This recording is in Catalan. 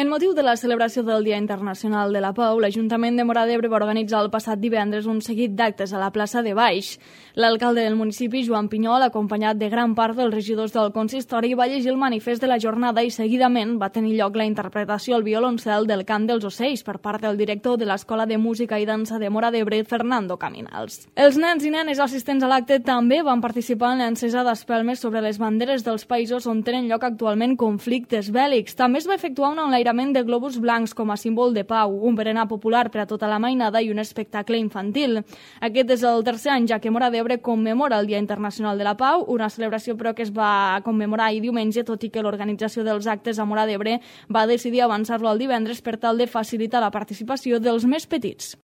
En motiu de la celebració del Dia Internacional de la Pau, l'Ajuntament de Móra d'Ebre va organitzar el passat divendres un seguit d'actes a la plaça de Baix. L'alcalde del municipi, Joan Pinyol, acompanyat de gran part dels regidors del consistori, va llegir el manifest de la jornada i seguidament va tenir lloc la interpretació al violoncel del Cant dels Ocells per part del director de l'Escola de Música i Dansa de Móra d'Ebre, Fernando Caminals. Els nens i nenes assistents a l'acte també van participar en l'encesa d'espelmes sobre les banderes dels països on tenen lloc actualment conflictes bèl·lics. També es va efectuar un enlairament de globus blancs com a símbol de pau, un berenar popular per a tota la mainada i un espectacle infantil. Aquest és el tercer any ja que Móra d'Ebre commemora el Dia Internacional de la Pau, una celebració però que es va commemorar ahir diumenge, tot i que l'organització dels actes a Móra d'Ebre va decidir avançar-lo al divendres per tal de facilitar la participació dels més petits.